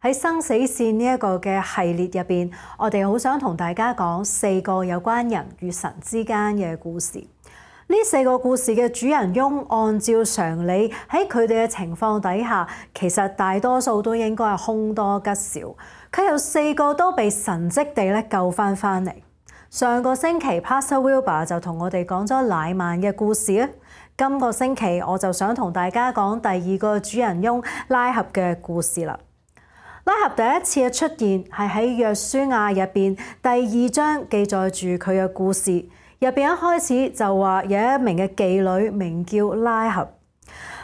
喺生死線呢一個嘅系列入邊，我哋好想同大家講4個有關人與神之間嘅故事。呢4個故事嘅主人翁，按照常理喺佢哋嘅情況底下，其實大多數都應該係凶多吉少。佢有4個都被神蹟地咧救翻嚟。上個星期 Pastor Wilbur 就同我哋講咗乃縵嘅故事啊。今個星期我就想同大家講第2個主人翁拉合嘅故事啦。拉合第一次嘅出現係喺約書亞入邊第2章記載住佢嘅故事。入邊一開始就話有一名嘅妓女名叫拉合。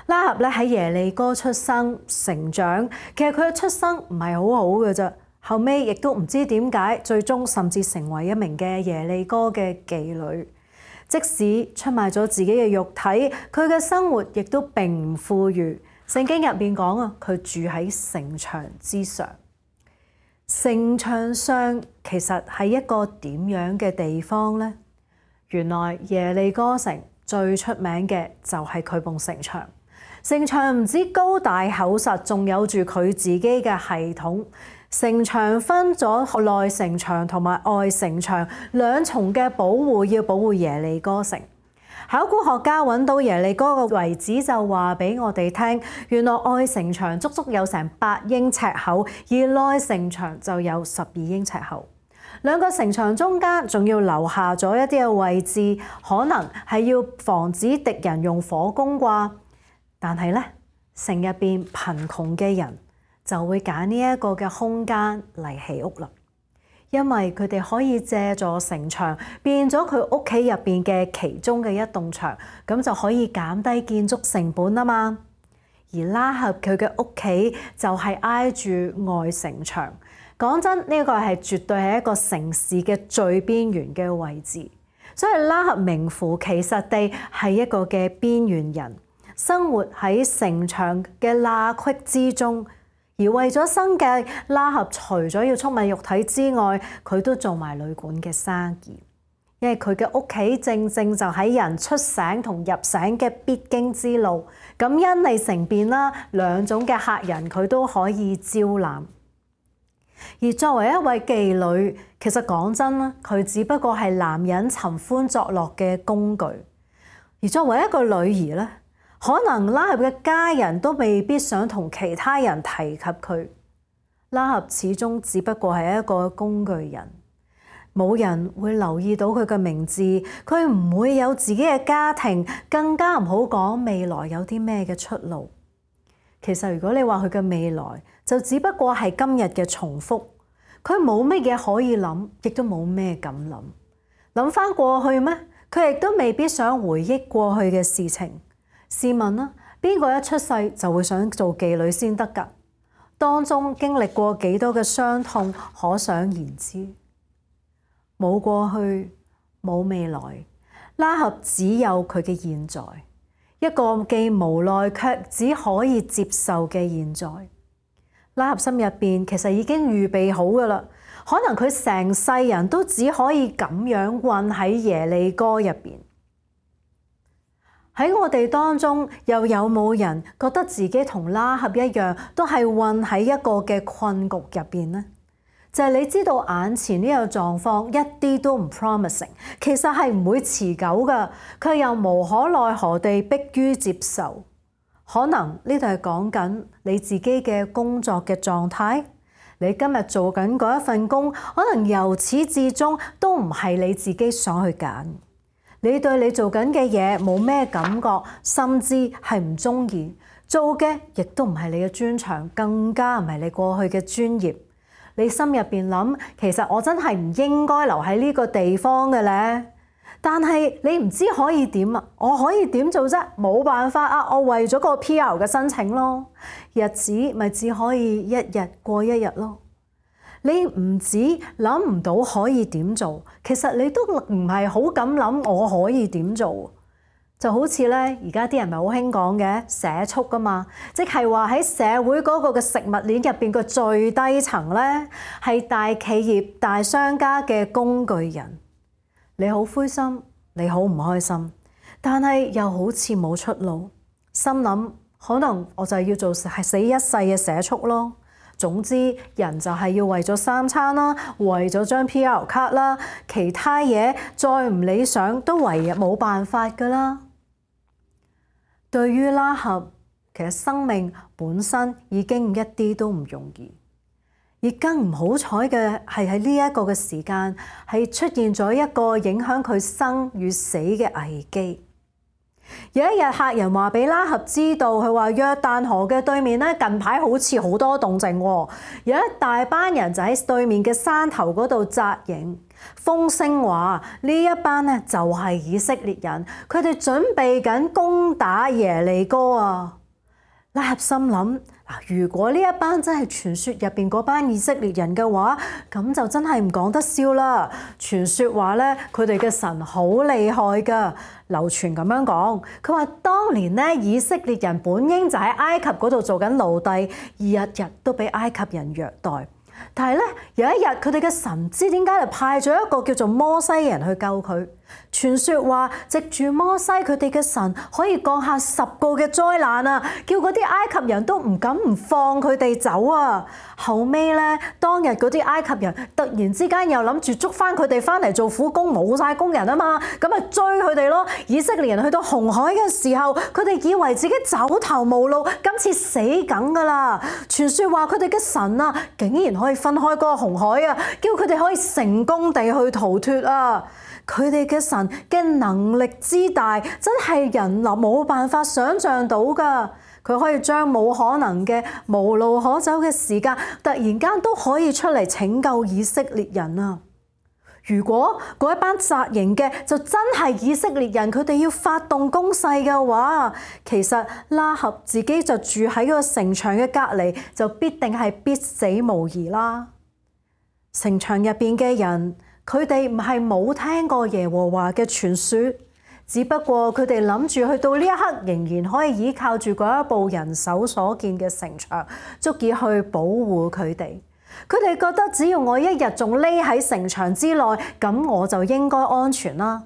拉合咧喺耶利哥出生成長，其實佢嘅出生唔係好好嘅啫。後尾亦都唔知點解，最終甚至成為一名嘅耶利哥嘅妓女。即使出賣咗自己嘅肉體，佢嘅生活亦都並唔富裕。聖經入邊講啊，佢住喺城牆之上。城牆上其實係一個點樣嘅地方呢？原來耶利哥城最出名嘅就係佢埲城牆。城牆唔止高大厚實，仲有住佢自己嘅系統。城牆分咗內城牆同埋外城牆兩重嘅保護，要保護耶利哥城。考古學家揾到耶利哥嘅遺址，就話俾我哋聽，原來外城牆足足有成8英尺厚，而內城牆就有12英尺厚。兩個城牆中間仲要留下咗一啲嘅位置，可能係要防止敵人用火攻啩。但係咧，城入邊貧窮嘅人就會揀呢一個嘅空間嚟起屋啦。因為佢哋可以借助城牆變咗佢屋企入邊嘅其中嘅一棟牆，咁就可以減低建築成本啊嘛。而拉合佢嘅屋企就係挨住外城牆。講真，呢個係絕對係一個城市嘅最邊緣嘅位置，所以拉合名副其實地係一個嘅邊緣人，生活喺城牆嘅罅隙之中。而為咗生計，拉合除咗要出賣肉體之外，佢都做埋旅館嘅生意，因為佢嘅屋企正正就喺人出省同入省嘅必經之路。咁因利乘便啦，兩種嘅客人佢都可以招攬。而作為一位妓女，其實講真啦，佢只不過係男人尋歡作樂嘅工具。而作為一個女兒咧，可能拉合嘅家人都未必想同其他人提及佢。拉合始終只不過係一個工具人，冇人會留意到佢嘅名字，佢唔會有自己嘅家庭，更加唔好講未來有啲咩嘅出路。其實如果你話佢嘅未來，就只不過係今日嘅重複，佢冇乜嘢可以諗，亦都冇咩敢諗。諗翻過去咩？佢亦都未必想回憶過去嘅事情。試問啦，邊個一出世就會想做妓女先得㗎？當中經歷過幾多嘅傷痛，可想而知。冇過去，冇未來，拉合只有佢嘅現在，一個既無奈卻只可以接受嘅現在。拉合心入邊其實已經預備好㗎啦，可能佢成世人都只可以咁樣困喺耶利哥入邊。喺我哋當中，又有冇人覺得自己同拉合一樣，都係困喺一個嘅困局入邊呢？就係你知道眼前呢個狀況一啲都唔 promising， 其實係唔會持久㗎，佢又無可奈何地迫於接受。可能呢度係講緊你自己嘅工作嘅狀態，你今日做緊嗰一份工，可能由始至終都唔係你自己想去揀。你對你做緊嘅嘢冇咩感覺，甚至係唔中意做嘅，亦都唔係你嘅專長，更加唔係你過去嘅專業。你心入邊諗，其實我真係唔應該留喺呢個地方嘅咧。但係你唔知可以點啊？我可以點做啫？冇辦法啊！我為咗個 PR 嘅申請咯，日子咪只可以一日過一日咯。你唔止諗唔到可以點做，其實你都唔係好敢諗我可以點做。就好似咧，而家啲人咪好興講嘅社畜噶嘛，即係話喺社會嗰個嘅食物鏈入邊個最低層咧，係大企業、大商家嘅工具人。你好灰心，你好唔開心，但係又好似冇出路，心諗可能我就要做係死一世嘅社畜咯。總之人就係要為咗三餐啦，為咗張 PR 卡啦，其他嘢再唔理想都唯有冇辦法㗎啦。對於拉合，其實生命本身已經一啲都唔容易，而更唔好彩嘅係喺呢一個嘅時間係出現咗一個影響佢生與死嘅危機。有一日客人話俾拉合知道，佢話約旦河嘅對面咧近排好似好多動靜喎，有一大班人就喺對面嘅山頭嗰度紮營。風聲話呢一班咧就係以色列人，佢哋準備緊攻打耶利哥啊！拉合心諗，如果呢一班真係傳說入邊嗰班以色列人嘅話，咁就真係唔講得笑啦。傳說話咧，佢哋嘅神好厲害㗎，流傳咁樣講。佢話當年咧，以色列人本應就喺埃及嗰度做緊奴隸，日日都俾埃及人虐待。但係咧，有一日佢哋嘅神唔知點解就派咗一個叫做摩西嘅人去救佢。傳說話藉住摩西，佢哋嘅神可以降下10個嘅災難啊，叫嗰啲埃及人都唔敢唔放佢哋走啊。後尾咧，當日嗰啲埃及人突然之間又諗住捉翻佢哋翻嚟做苦工，冇晒工人啊嘛，咁咪追佢哋咯。以色列人去到紅海嘅時候，佢哋以為自己走投無路，今次死梗噶啦。傳說話佢哋嘅神啊，竟然可以分開嗰個紅海啊，叫佢哋可以成功地去逃脫啊。佢哋嘅神嘅能力之大，真係人冇辦法想像到㗎。佢可以將冇可能嘅無路可走嘅時間，突然間都可以出嚟拯救以色列人啊！如果嗰一班紮營嘅就真係以色列人，佢哋要發動攻勢嘅話，其實拉合自己就住喺個城牆嘅隔離，就必定係必死無疑啦。城牆入邊嘅人，佢哋唔係冇聽過耶和華嘅傳說，只不過佢哋諗住去到呢一刻仍然可以依靠住嗰一部人手所建嘅城牆，足以去保護佢哋。佢哋覺得只要我一日仲匿喺城牆之內，咁我就應該安全啦。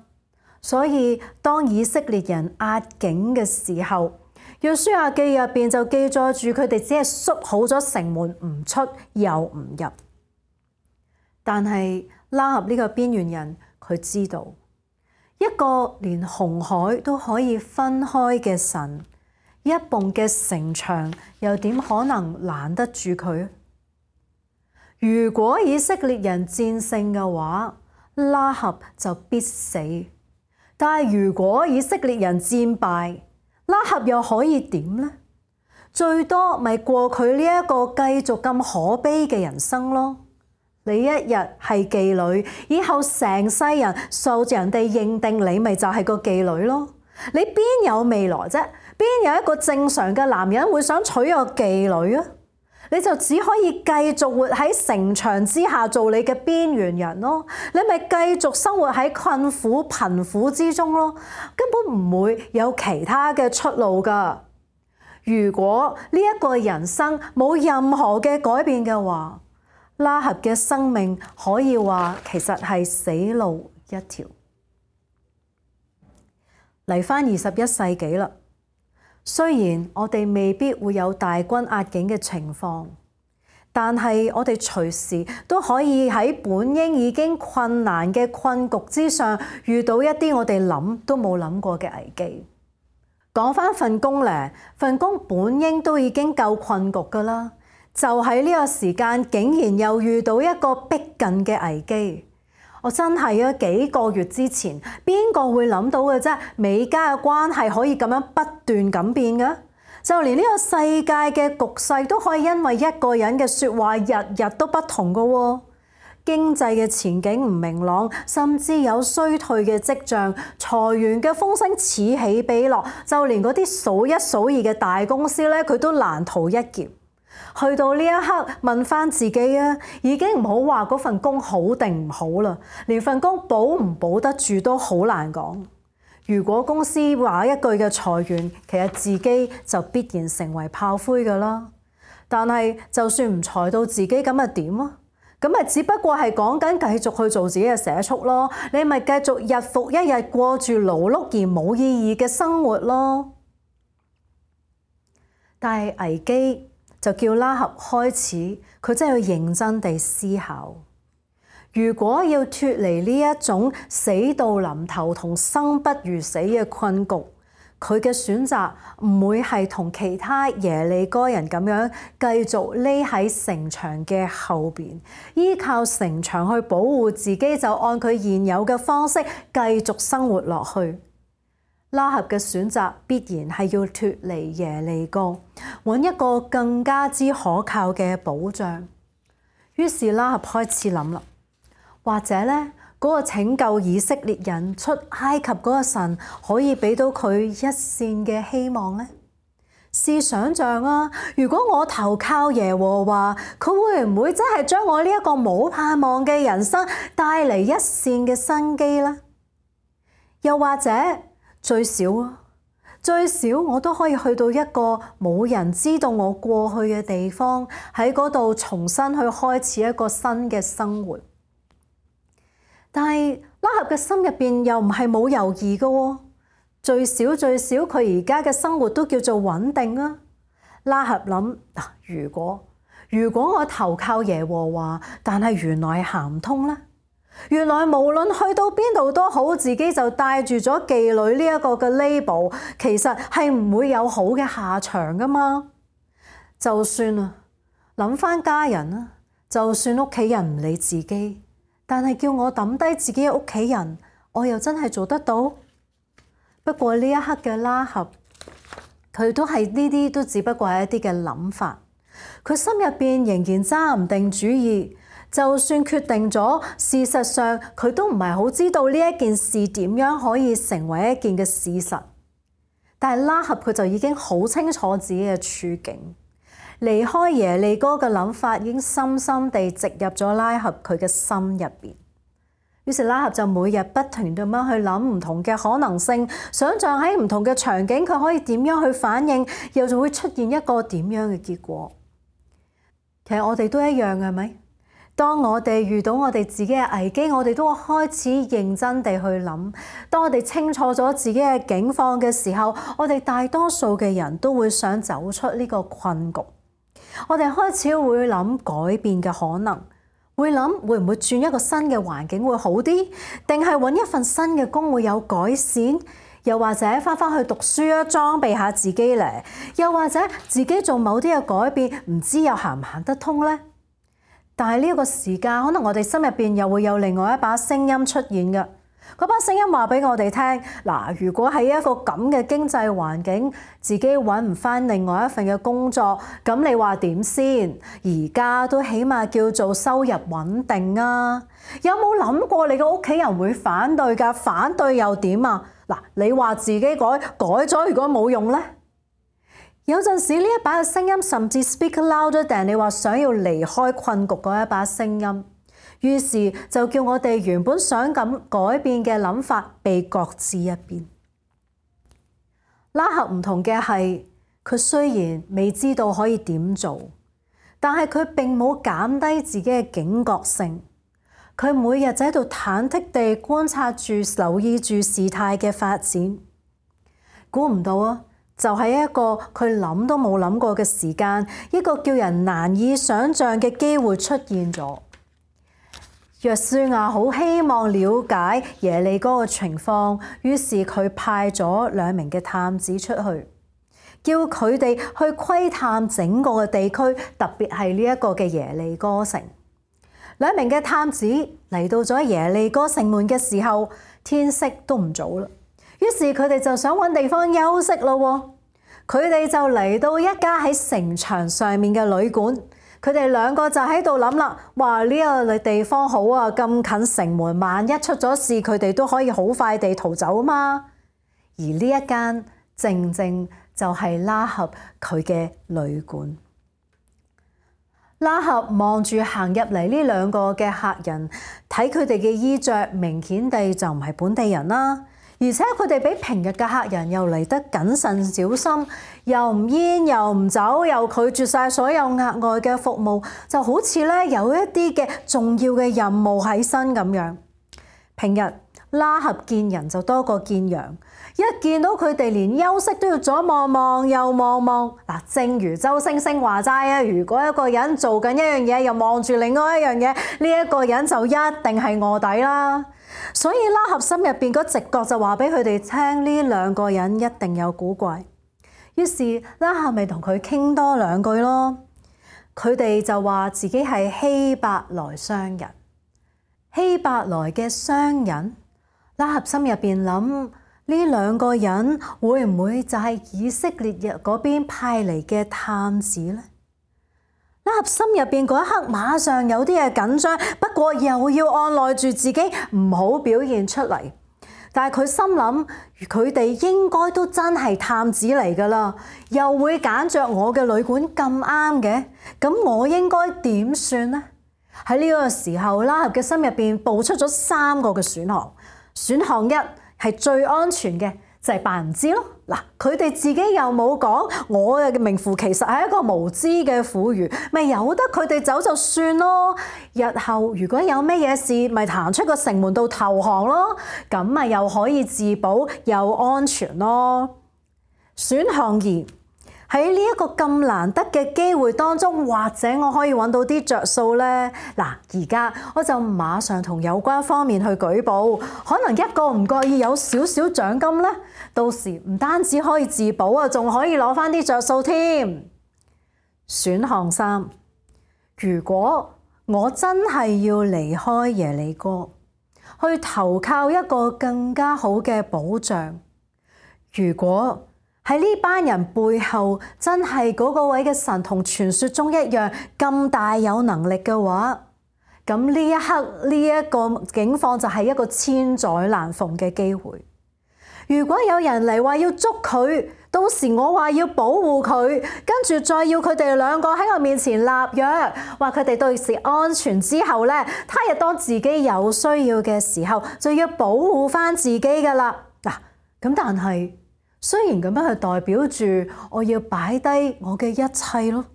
所以當以色列人壓境嘅時候，約書亞記入邊就記載住佢哋只係縮好咗城門，唔出又唔入。但係拉合呢個邊緣人，佢知道一個連紅海都可以分開嘅神，一埲嘅城牆又點可能攔得住佢？如果以色列人戰勝嘅話，拉合就必死；但係如果以色列人戰敗，拉合又可以點呢？最多咪過佢呢一個繼續咁可悲嘅人生咯。你一日係妓女，以後成世人受人哋認定你咪就係個妓女咯。你邊有未來啫？邊有一個正常嘅男人會想娶個妓女啊？你就只可以繼續活喺城牆之下做你嘅邊緣人咯。你咪繼續生活喺困苦貧苦之中咯，根本唔會有其他嘅出路㗎。如果呢一個人生冇任何嘅改變嘅話，拉合嘅生命可以話其實係死路一條。嚟返21世紀啦，雖然我哋未必會有大軍壓境嘅情況，但係我哋隨時都可以喺本應已經困難嘅困局之上，遇到一啲我哋諗都冇諗過嘅危機。講返份工咧，份工本應都已經夠困局㗎啦。就喺呢個時間，竟然又遇到一個逼近嘅危機。我真係啊，幾個月之前，邊個會諗到嘅啫？美加嘅關係可以咁樣不斷咁變嘅，就連呢個世界嘅局勢都可以因為一個人嘅説話，日日都不同嘅喎。經濟嘅前景唔明朗，甚至有衰退嘅跡象，裁員嘅風聲此起彼落，就連嗰啲數一數二嘅大公司咧，佢都難逃一劫。去到呢一刻，問翻自己啊，已經唔好話嗰份工好定唔好啦，連份工保唔保得住都好難講。如果公司話一句嘅裁員，其實自己就必然成為炮灰㗎啦。但係就算唔裁到自己，咁咪點啊？咁咪只不過係講緊繼續去做自己嘅社畜咯。你咪繼續日復一日過住勞碌而冇意義嘅生活咯。但係危機就叫拉合開始，佢真係要認真地思考。如果要脫離呢一種死到臨頭同生不如死嘅困局，佢嘅選擇唔會係同其他耶利哥人咁樣繼續匿喺城牆嘅後邊，依靠城牆去保護自己，就按佢現有嘅方式繼續生活落去。拉合嘅選擇必然係要脫離耶利哥，揾一個更加之可靠嘅保障。於是拉合開始諗啦，或者呢，嗰個拯救以色列人出埃及嗰個神可以俾到佢一線嘅希望呢？試想像啊，如果我投靠耶和華，佢會唔會真係將我呢一個冇盼望嘅人生帶嚟一線嘅生機呢？又或者最少我都可以去到一個冇人知道我過去嘅地方，喺嗰度重新去開始一個新嘅生活。但係拉合嘅心入邊又唔係冇猶豫嘅喎，最少佢而家嘅生活都叫做穩定啊。拉合諗，如果我投靠耶和華，但係原來行唔通咧，原來無論去到邊度都好，自己就帶住咗妓女呢一個嘅 label， 其實係唔會有好嘅下場噶嘛。就算諗翻家人啊，就算屋企人唔理自己，但係叫我抌低自己嘅屋企人，我又真係做得到？不過呢一刻嘅拉合，佢都係呢啲都只不過係一啲嘅諗法，佢心入邊仍然揸唔定主意。就算決定咗，事實上佢都唔係好知道呢一件事點樣可以成為一件嘅事實。但係拉合佢就已經好清楚自己嘅處境，離開耶利哥嘅諗法已經深深地植入咗拉合佢嘅心入邊。於是拉合就每日不停咁樣去諗唔同嘅可能性，想像喺唔同嘅場景佢可以點樣去反應，又就會出現一個點樣嘅結果。其實我哋都一樣嘅，係咪？當我哋遇到我哋自己嘅危機，我哋都會開始認真地去諗。當我哋清楚咗自己嘅境況嘅時候，我哋大多數嘅人都會想走出呢個困局。我哋開始會諗改變嘅可能，會諗會唔會轉一個新嘅環境會好啲，定係揾一份新嘅工會有改善，又或者返去讀書啊，裝備下自己咧，又或者自己做某啲嘅改變，唔知又行唔行得通呢？但係呢個時間，可能我哋心入邊又會有另外一把聲音出現嘅。嗰把聲音話俾我哋聽，嗱，如果喺一個咁嘅經濟環境，自己揾唔返另外一份嘅工作，咁你話點先？而家都起碼叫做收入穩定啊！有冇諗過你個屋企人會反對㗎？反對又點啊？嗱，你話自己改咗，如果冇用呢？有陣時呢一把嘅聲音甚至 speak louder than 你話想要離開困局嗰一把聲音，於是就叫我哋原本想咁改變嘅諗法被擱置一邊。拉合唔同嘅係，佢雖然未知道可以點做，但係佢並冇減低自己嘅警覺性。佢每日就喺度忐忑地觀察住、留意住事態嘅發展。估唔到啊！就係一個佢諗都冇諗過嘅時間，一個叫人難以想像嘅機會出現咗。約書亞好希望了解耶利哥嘅情況，於是佢派咗2名嘅探子出去，叫佢哋去窺探整個嘅地區，特別係呢一個嘅耶利哥城。2名嘅探子嚟到咗耶利哥城門嘅時候，天色都唔早啦。於是佢哋就想揾地方休息咯。佢哋就嚟到一家喺城牆上面嘅旅館。佢哋2個就喺度諗啦，哇！呢個地方好啊，咁近城門，萬一出咗事，佢哋都可以好快地逃走嘛。而呢一間正正就係拉合佢嘅旅館。拉合望住行入嚟呢2個嘅客人，睇佢哋嘅衣着，明顯地就唔係本地人啦。而且佢哋比平日嘅客人又嚟得謹慎小心，又唔煙又唔酒，又拒絕晒所有額外嘅服務，就好似咧有一啲嘅重要嘅任務喺身咁樣。平日拉合見人就多過見羊，一見到佢哋連休息都要左望望右望望。嗱，正如周星星話齋啊，如果一個人做緊一樣嘢又望住另外一樣嘢，呢一個人就一定係臥底啦。所以拉合心入邊嗰直覺就話俾佢哋聽，呢兩個人一定有古怪。於是拉合咪同佢傾多兩句咯。佢哋就話自己係希伯來商人。希伯來嘅商人，拉合心入邊諗，呢兩個人會唔會就係以色列人嗰邊派嚟嘅探子呢？拉合心入邊嗰一刻馬上有啲嘢緊張，不過又要按捺住自己唔好表現出嚟。但係佢心諗，佢哋應該都真係探子嚟㗎啦，又會揀着我嘅旅館咁啱嘅，咁我應該點算呢？喺呢個時候，拉合嘅心入邊冒出咗3個嘅選項。選項1係最安全嘅，就係扮唔知咯。嗱，佢哋自己又冇講，我嘅名副其實係一個無知嘅婦孺，咪由得佢哋走就算咯。日後如果有咩嘢事，咪行出個城門度投降咯，咁咪又可以自保又安全咯。選項2。喺呢一個咁難得嘅機會當中，或者我可以揾到啲着數呢？嗱，而家我就馬上同有關方面去舉報，可能一個唔覺意有少少獎金呢，到時唔單止可以自保啊，仲可以攞翻啲着數添。選項3，如果我真係要離開耶利哥，去投靠一個更加好嘅保障，如果喺呢班人背後真係嗰個位嘅神同傳說中一樣咁大有能力嘅話，咁呢一刻呢一個境況就係一個千載難逢嘅機會。如果有人嚟話要捉佢，到時我話要保護佢，跟住再要佢哋兩個喺我面前立約，話佢哋到時安全之後呢，他日當自己有需要嘅時候，就要保護翻自己噶啦。嗱，咁但係雖然咁樣係代表住我要擺低我嘅一切咯，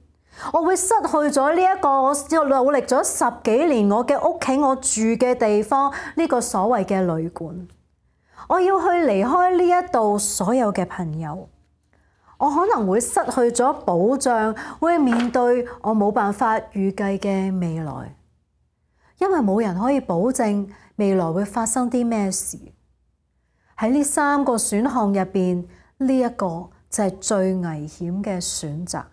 我會失去咗呢一個我努力咗10幾年我嘅屋企，我住嘅地方，呢個所謂嘅旅館，我要去離開呢一度所有嘅朋友，我可能會失去咗保障，會面對我冇辦法預計嘅未來，因為冇人可以保證未來會發生啲咩事。喺呢3個選項入邊，呢一個就係最危險嘅選擇，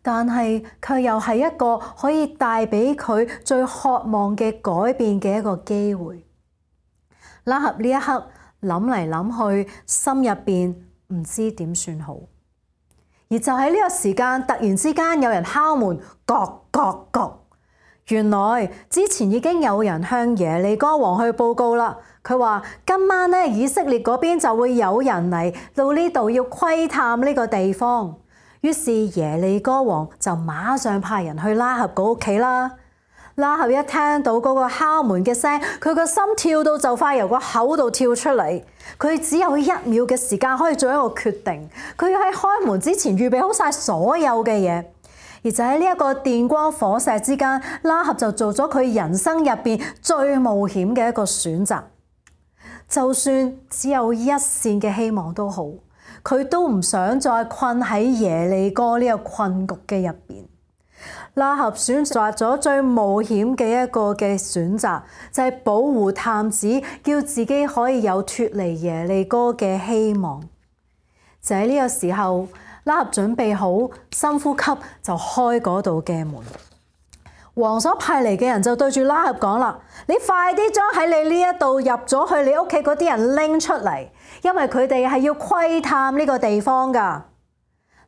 但係卻又係一個可以帶俾佢最渴望嘅改變嘅一個機會。拉合呢一刻諗嚟諗去，心入邊唔知點算好。而就喺呢個時間，突然之間有人敲門，各。原來之前已經有人向耶利哥王去報告啦。佢話今晚呢，以色列嗰邊就會有人嚟到呢度要窺探呢個地方。於是耶利哥王就馬上派人去拉合嗰屋企啦。拉合一聽到嗰個敲門嘅聲，佢個心跳到就快由個口度跳出嚟。佢只有1秒嘅時間可以做一個決定，佢要喺開門之前預備好晒所有嘅嘢。而就喺呢一個電光火石之間，拉合就做咗佢人生入邊最冒險嘅一個選擇。就算只有一線嘅希望都好，佢都唔想再困喺耶利哥呢個困局嘅入邊。拉合選擇咗最冒險嘅一個嘅選擇，就係保護探子，叫自己可以有脫離耶利哥嘅希望。就喺呢個時候，拉合準備好深呼吸，就開嗰度嘅門。王所派嚟嘅人就對住拉合講啦：你快啲將喺你呢一度入咗去你屋企嗰啲人拎出嚟，因為佢哋係要窺探呢個地方噶。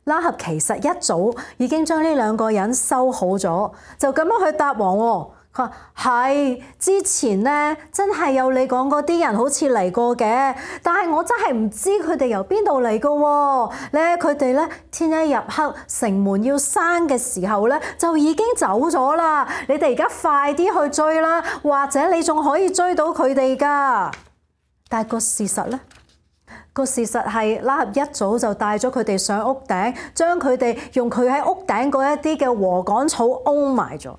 拉合其實一早已經將呢2個人收好咗，就咁樣去答王喎。佢話係之前呢，真係有你講嗰啲人好似嚟過嘅，但係我真係唔知佢哋由邊度嚟噶喎。咧佢哋咧天一入黑，城門要閂嘅時候咧就已經走咗啦。你哋而家快啲去追啦，或者你仲可以追到佢哋噶。但係個事實咧？個事實係拉合一早就帶咗佢哋上屋頂，將佢哋用佢喺屋頂嗰一啲嘅禾稈草封埋咗。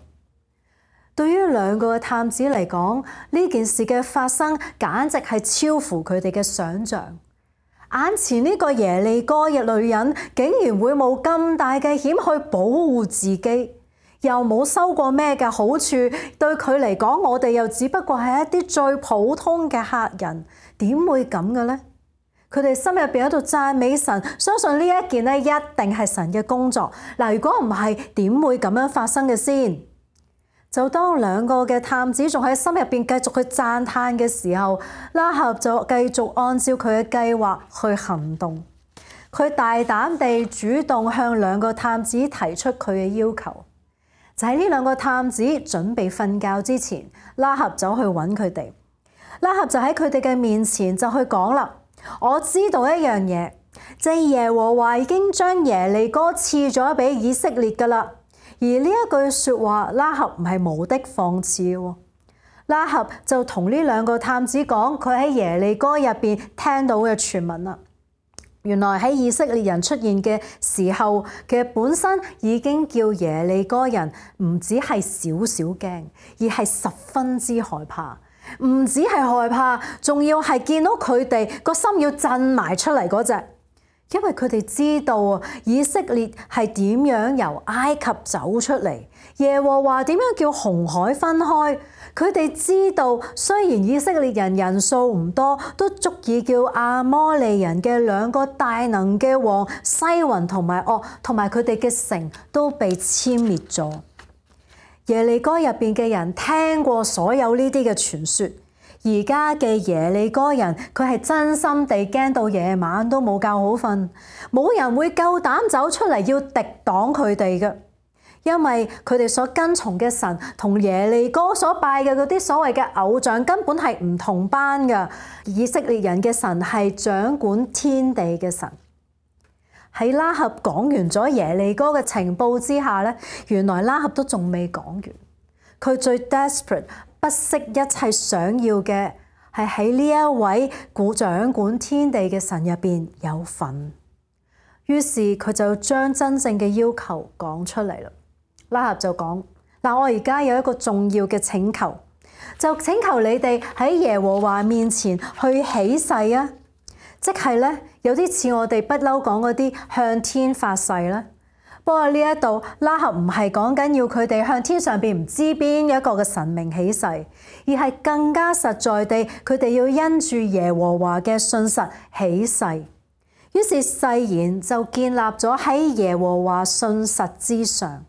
對於兩個嘅探子嚟講，呢件事嘅發生簡直係超乎佢哋嘅想像。眼前呢個耶利哥嘅女人竟然會冒咁大嘅險去保護自己，又冇收過咩嘅好處，對佢嚟講，我哋又只不過係一啲最普通嘅客人，點會咁嘅呢？佢哋心入邊喺度讚美神，相信呢一件咧一定係神嘅工作。嗱，如果唔係，點會咁樣發生嘅先？就當兩個嘅探子仲喺心入邊繼續去讚嘆嘅時候，拉合就繼續按照佢嘅計劃去行動。佢大膽地主動向兩個探子提出佢嘅要求。就喺呢兩個探子準備瞓覺之前，拉合走去揾佢哋。拉合就喺佢哋嘅面前就去講啦：我知道一樣嘢，就係耶和華已經將耶利哥賜咗俾以色列噶啦。而呢一句說話，拉合唔係無的放矢喎。拉合就同呢兩個探子講佢喺耶利哥入邊聽到嘅傳聞啦。原來喺以色列人出現嘅時候，其實本身已經叫耶利哥人唔止係少少驚，而係十分之害怕。唔止係害怕，仲要係見到佢哋個心要震埋出嚟嗰隻。因為佢哋知道啊，以色列係點樣由埃及走出嚟，耶和華點樣叫紅海分開。佢哋知道，雖然以色列人人數唔多，都足以叫亞摩利人嘅兩個大能嘅王西雲同埋噩，同埋佢哋嘅城都被殲滅咗。耶利哥入邊嘅人聽過所有呢啲嘅傳說。而家嘅耶利哥人，佢係真心地驚到夜晚都冇覺好瞓，冇人會夠膽走出嚟要敵擋佢哋嘅，因為佢哋所跟從嘅神同耶利哥所拜嘅嗰啲所謂嘅偶像根本係唔同班嘅。以色列人嘅神係掌管天地嘅神。喺拉合講完咗耶利哥嘅情報之下咧，原來拉合都仲未講完，佢最 desperate。不惜一切想要嘅係喺呢一位掌管天地嘅神入邊有份，於是佢就將真正嘅要求講出嚟啦。拉合就講：嗱，我而家有一個重要嘅請求，就請求你哋喺耶和華面前去起誓啊！即係咧，有啲似我哋不嬲講嗰啲向天發誓啦。不過呢一度拉合唔係講緊要佢哋向天上邊唔知邊一個嘅神明起誓，而係更加實在地，佢哋要因住耶和華嘅信實起誓。於是誓言就建立咗喺耶和華信實之上。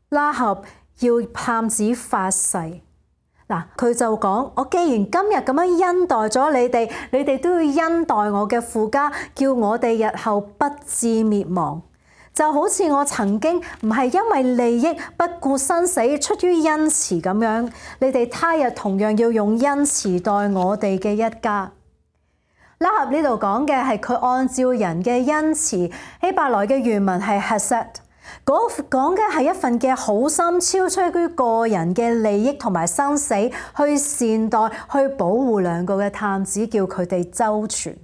拉合要探子發誓，嗱，佢就講：我既然今日咁樣恩待咗你哋，你哋都要恩待我嘅父家，叫我哋日後不致滅亡。就好似我曾經唔係因為利益不顧生死，出於恩慈咁樣，你哋他日同樣要用恩慈待我哋嘅一家。拉合呢度講嘅係佢按照人嘅恩慈，希伯來嘅原文係 Hesed， 講嘅係一份嘅好心，超出於個人嘅利益同埋生死，去善待、去保護兩個嘅探子，叫佢哋周全。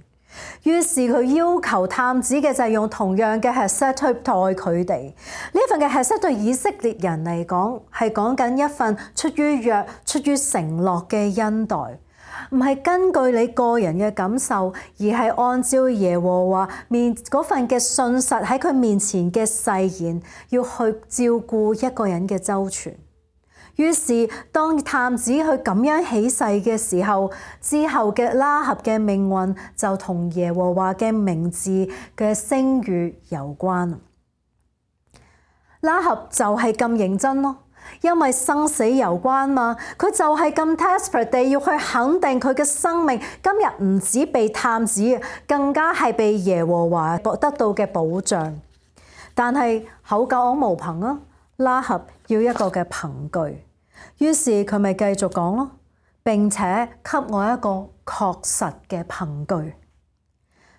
於是佢要求探子嘅就係用同樣嘅 Hesed 去待佢哋。呢份嘅 Hesed對以色列人嚟講係講緊一份出於約、出於承諾嘅恩待，唔係根據你個人嘅感受，而係按照耶和華面嗰份嘅信實喺佢面前嘅誓言，要去照顧一個人嘅周全。於是當探子去咁樣起誓嘅時候，之後嘅拉合嘅命運就同耶和華嘅名字嘅聲譽有關。拉合就係咁認真咯，因為生死有關嘛，佢就係咁 desperate 地要去肯定佢嘅生命今日唔止被探子，更加係被耶和華得到嘅保障。但係口講無憑啊，拉合要一個嘅憑據。於是佢咪繼續講咯，並且給我一個確實嘅憑據。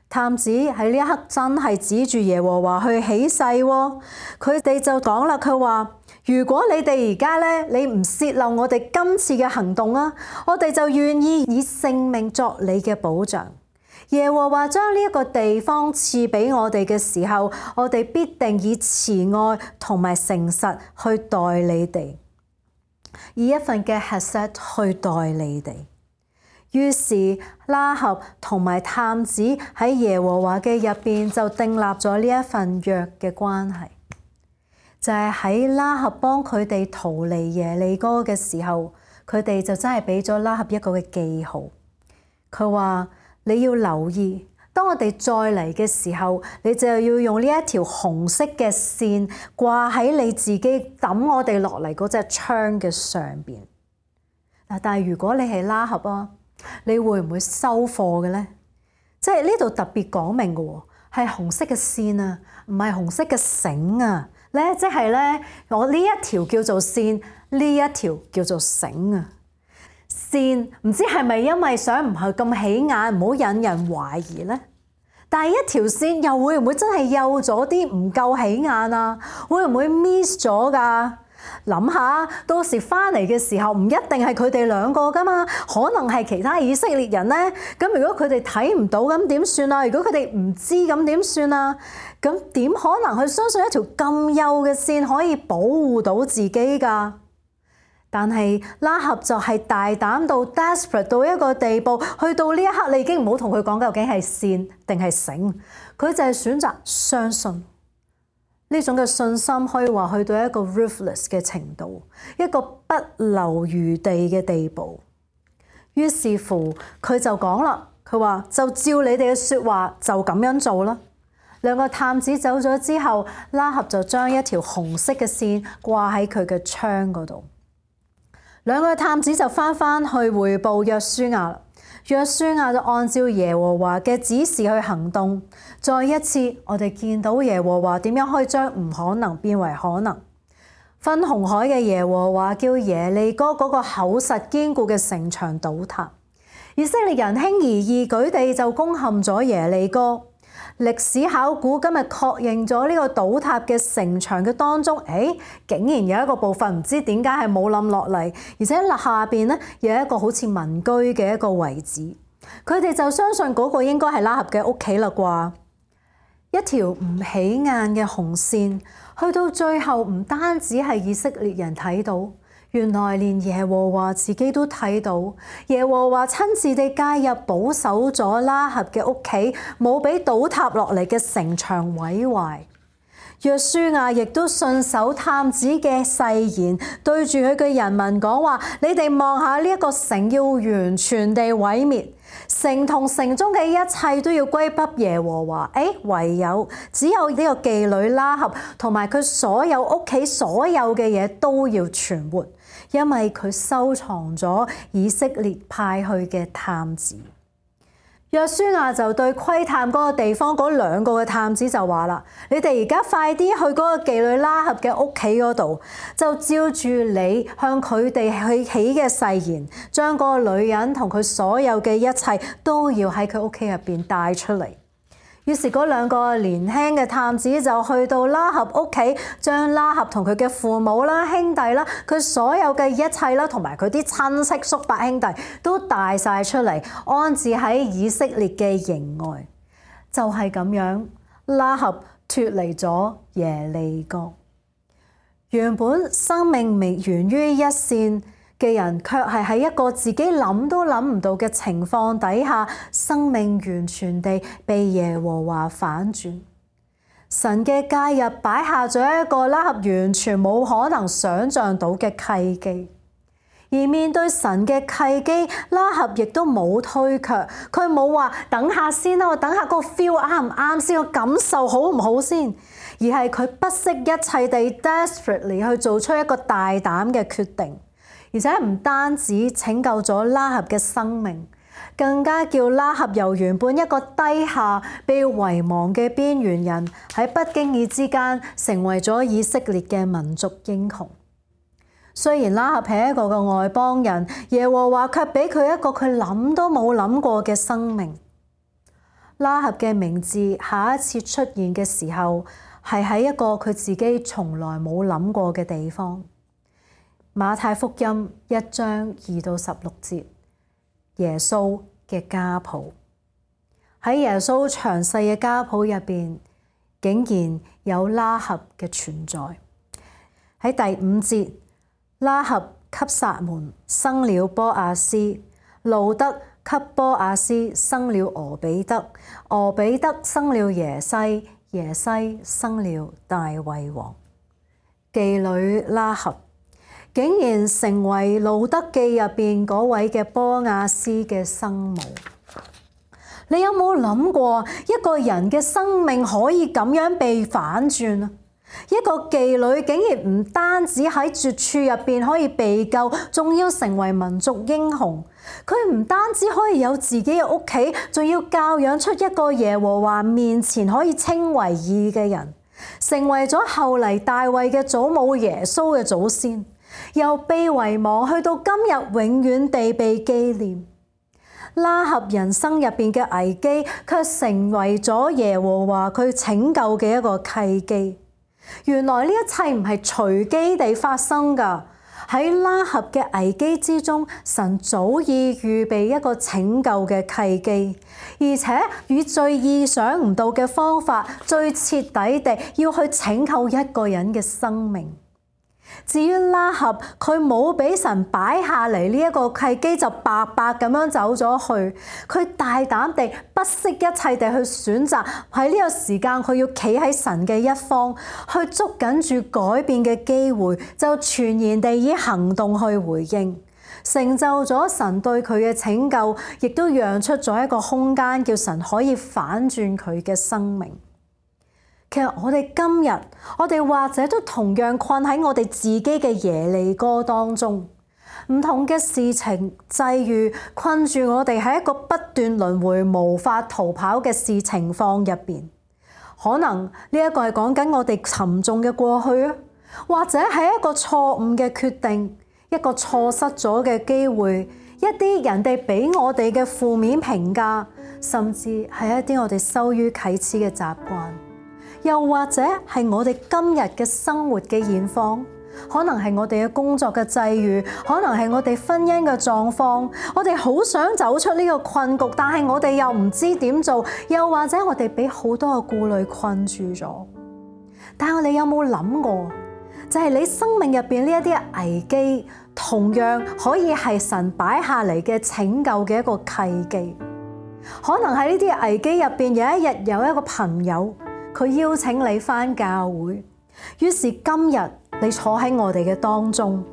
探子喺呢一刻真係指住耶和華去起誓喎，佢哋就講啦，佢話：如果你哋而家咧，你唔泄漏我哋今次嘅行動啊，我哋就願意以性命作你嘅保障。耶和華將呢一個地方賜俾我哋嘅時候，我哋必定以慈愛同埋誠實去待你哋。以一份嘅 hesed 去待你哋。於是拉合同埋探子喺耶和華嘅入邊就訂立咗呢一份約嘅關係，就係喺拉合幫佢哋逃離耶利哥嘅時候，佢哋就真係俾咗拉合一個嘅記號。佢話你要留意，當我哋再嚟嘅時候，你就要用呢一條紅色嘅線掛喺你自己抌我哋落嚟嗰隻槍嘅上邊。但係如果你係拉合啊，你會唔會收貨嘅咧？即係呢度特別講明嘅喎，係紅色嘅線啊，唔係紅色嘅繩啊。咧即係咧，我呢一條叫做線，呢一條叫做繩啊。線唔知係咪因為想唔係咁起眼，唔好引人懷疑咧？但係一條線又會唔會真係幼咗啲，唔夠起眼啊？會唔會 miss 咗㗎？諗下，到時翻嚟嘅時候唔一定係佢哋兩個噶嘛，可能係其他以色列人咧。咁如果佢哋睇唔到，咁點算啊？如果佢哋唔知，咁點算啊？咁點可能去相信一條咁幼嘅線可以保護到自己㗎？但係拉合就係大膽到 desperate 到一個地步，去到呢一刻你已經唔好同佢講究竟係線定係繩，佢就係選擇相信。呢種嘅信心可以話去到一個 ruthless 嘅程度，一個不留餘地嘅地步。於是乎佢就講啦，佢話就照你哋嘅説話就咁樣做啦。兩個探子走咗之後，拉合就將一條紅色嘅線掛喺佢嘅窗嗰度。兩個探子就翻去彙報約書亞啦。約書亞就按照耶和華嘅指示去行動。再一次，我哋見到耶和華點樣可以將唔可能變為可能。分紅海嘅耶和華叫耶利哥嗰個厚實堅固嘅城牆倒塌，以色列人輕而易舉地就攻陷咗耶利哥。歷史考古今日確認咗呢個倒塌嘅城牆嘅當中，竟然有一個部分唔知點解係冇冧落嚟，而且下邊咧有一個好似民居嘅一個遺址。佢哋就相信嗰個應該係拉合嘅屋企啦啩。一條唔起眼嘅紅線，去到最後唔單止係以色列人睇到，原來連耶和華自己都睇到。耶和華親自地介入，保守咗拉合嘅屋企，冇俾倒塌落嚟嘅城牆毀壞。約書亞亦都信守探子嘅誓言，對住佢嘅人民講話：你哋望下呢一個城要完全地毀滅，城同城中嘅一切都要歸給耶和華。唯有只有呢個妓女拉合同埋佢所有屋企所有嘅嘢都要存活，因為佢收藏咗以色列派去嘅探子。約書亞就對窺探嗰個地方嗰兩個嘅探子就話啦：你哋而家快啲去嗰個妓女拉合嘅屋企嗰度，就照住你向佢哋去起嘅誓言，將嗰個女人同佢所有嘅一切都要喺佢屋企入邊帶出嚟。於是嗰兩個年輕嘅探子就去到拉合屋企，將拉合同佢嘅父母啦、兄弟啦、佢所有嘅一切啦，同埋佢啲親戚叔伯兄弟都帶晒出嚟，安置喺以色列嘅營外。就係咁樣，拉合脫離咗耶利哥。原本生命未源於一線嘅人，卻係喺一個自己諗都諗唔到嘅情況底下，生命完全地被耶和華反轉。神嘅介入擺下咗一個拉合完全冇可能想像到嘅契機，而面對神嘅契機，拉合亦都冇推卻，佢冇話等下先啦，我等下個 feel 啱唔啱先，我感受好唔好先，而係佢不惜一切地 desperately 去做出一個大膽嘅決定。而且唔單止拯救咗拉合嘅生命，更加叫拉合由原本一個低下被遺忘嘅邊緣人，喺不經意之間成為咗以色列嘅民族英雄。雖然拉合係一個嘅外邦人，耶和華卻俾佢一個佢諗都冇諗過嘅生命。拉合嘅名字下一次出現嘅時候，係喺一個佢自己從來冇諗過嘅地方。馬太福音1章2到16節，耶穌嘅家譜。喺耶穌詳細嘅家譜入邊，竟然有拉合嘅存在。喺第5節，拉合給撒門，生了波阿斯。路得給波阿斯生了俄比德，俄比德生了耶西，耶西生了大衛王。妓女拉合竟然成為路得記入邊嗰位嘅波阿斯嘅生母。你有冇諗過一個人嘅生命可以咁樣被反轉啊？一個妓女竟然唔單止喺絕處入邊可以被救，仲要成為民族英雄。佢唔單止可以有自己嘅屋企，仲要教養出一個耶和華面前可以稱為義嘅人，成為咗後嚟大衛嘅祖母耶穌嘅祖先，由被遺忘去到今日永遠地被紀念。拉合人生入邊嘅危機，卻成為咗耶和華佢拯救嘅一個契機。原來呢一切唔係隨機地發生㗎，喺拉合嘅危機之中，神早已預備一個拯救嘅契機，而且以最意想唔到嘅方法，最徹底地要去拯救一個人嘅生命。至於拉合，佢冇俾神擺下嚟呢一個契機，就白白咁樣走咗去。佢大膽地不惜一切地去選擇喺呢個時間，佢要企喺神嘅一方，去捉緊住改變嘅機會，就全然地以行動去回應，成就咗神對佢嘅拯救，亦都讓出咗一個空間，叫神可以反轉佢嘅生命。其實我哋今日，我哋或者都同樣困喺我哋自己嘅耶利哥當中，唔同嘅事情際遇困住我哋喺一個不斷輪迴無法逃跑嘅事情況入邊。可能呢一個係講緊我哋沉重嘅過去啊，或者係一個錯誤嘅決定，一個錯失咗嘅機會，一啲人哋俾我哋嘅負面評價，甚至係一啲我哋羞於啟齒嘅習慣。又或者係我哋今日嘅生活嘅現況，可能係我哋嘅工作嘅際遇，可能係我哋婚姻嘅狀況，我哋好想走出呢個困局，但係我哋又唔知點做，又或者我哋俾好多嘅顧慮困住咗。但係我哋有冇諗過，就係你生命入邊呢一啲危機，同樣可以係神擺下嚟嘅拯救嘅一個契機。可能喺呢啲危機入邊，有一日有一個朋友，佢邀請你返教會，於是今日你坐喺我哋嘅當中，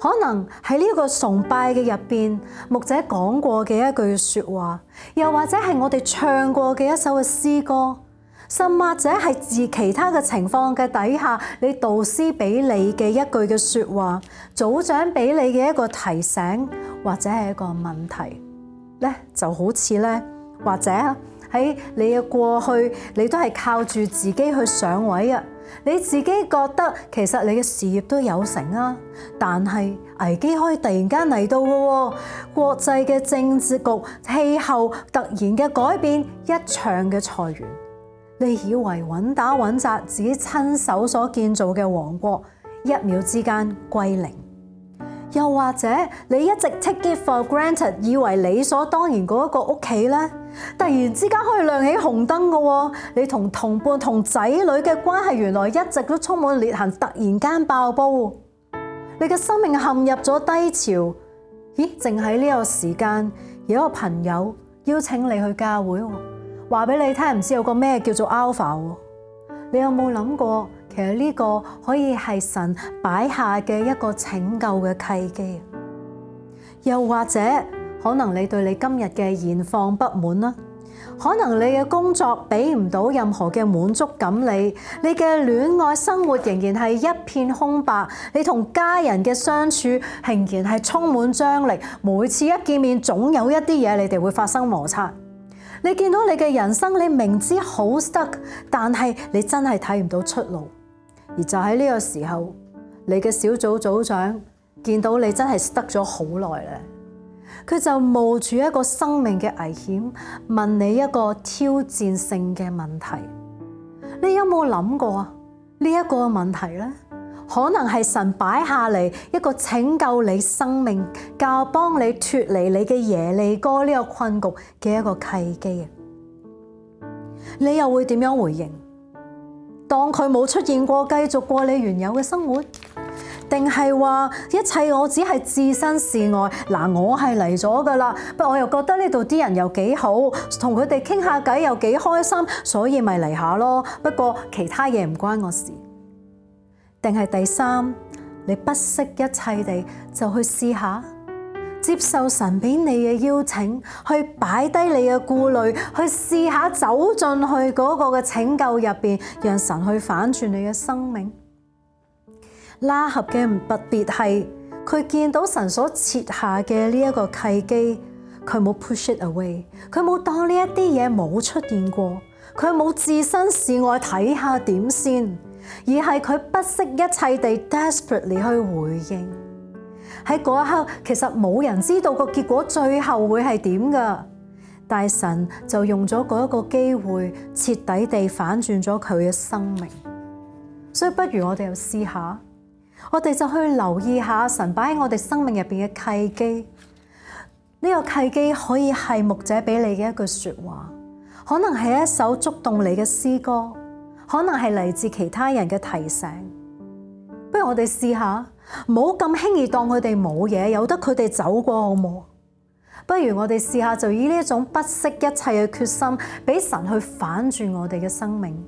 可能喺呢個崇拜嘅入邊，牧者講過嘅一句說話，又或者係我哋唱過嘅一首嘅詩歌，甚或者係自其他嘅情況嘅底下，你導師俾你嘅一句嘅說話，組長俾你嘅一個提醒，或者係一個問題咧，就好似咧，或者喺你嘅過去，你都係靠住自己去上位啊！你自己覺得其實你嘅事業都有成啊，但係危機可以突然間嚟到嘅喎，國際嘅政治局氣候突然嘅改變，一場嘅裁員，你以為穩打穩紮自己親手所建造嘅王國，一秒之間歸零。又或者你一直 take it for granted， 以為理所當然嗰一個屋企咧，突然之間可以亮起紅燈嘅喎，你同同伴同仔女嘅關係原來一直都充滿裂痕，突然間爆煲，你嘅生命陷入咗低潮。咦？淨喺呢個時間，有一個朋友邀請你去教會，話俾你聽，唔知有個咩叫做 Alpha。你有冇諗過？其實呢個可以係神擺下嘅一個拯救嘅契機，又或者可能你對你今日嘅現況不滿啦，可能你嘅工作俾唔到任何嘅滿足感，你嘅戀愛生活仍然係一片空白，你同家人嘅相處仍然係充滿張力，每次一見面總有一啲嘢你哋會發生摩擦。你見到你嘅人生，你明知好 stuck， 但係你真係睇唔到出路。而就喺呢個時候，你嘅小組組長見到你真係 stuck 咗好耐咧，佢就冒住一個生命嘅危險，問你一個挑戰性嘅問題。你有冇諗過啊？呢一個問題咧，可能係神擺下嚟一個拯救你生命、教幫你脫離你嘅耶利哥呢個困局嘅一個契機。你又會點樣回應？當佢冇出現過，繼續過你原有嘅生活，定係話一切我只係置身事外？嗱，我係嚟咗㗎啦，不過我又覺得呢度啲人又幾好，同佢哋傾下偈又幾開心，所以咪嚟下咯。不過其他嘢唔關我事。定係第三，你不惜一切地就去試下，接受神俾你嘅邀請，去擺低你嘅顧慮，去試下走進去嗰個嘅拯救入邊，讓神去反轉你嘅生命。拉合嘅特別係佢見到神所設下嘅呢一個契機，佢冇 push it away， 佢冇當呢一啲嘢冇出現過，佢冇置身事外睇下點先，而係佢不惜一切地 desperately 去回應。喺嗰一刻，其實冇人知道個結果最後會係點噶，但係神就用咗嗰一個機會，徹底地反轉咗佢嘅生命。所以不如我哋又試下，我哋就去留意下神擺喺我哋生命入邊嘅契機。呢個契機可以係牧者俾你嘅一句說話，可能係一首觸動你嘅詩歌，可能係嚟自其他人嘅提醒。不如我哋試下，唔好咁輕易當佢哋冇嘢，由得佢哋走過好冇？不如我哋試下，就以呢一種不惜一切嘅決心，俾神去反轉我哋嘅生命。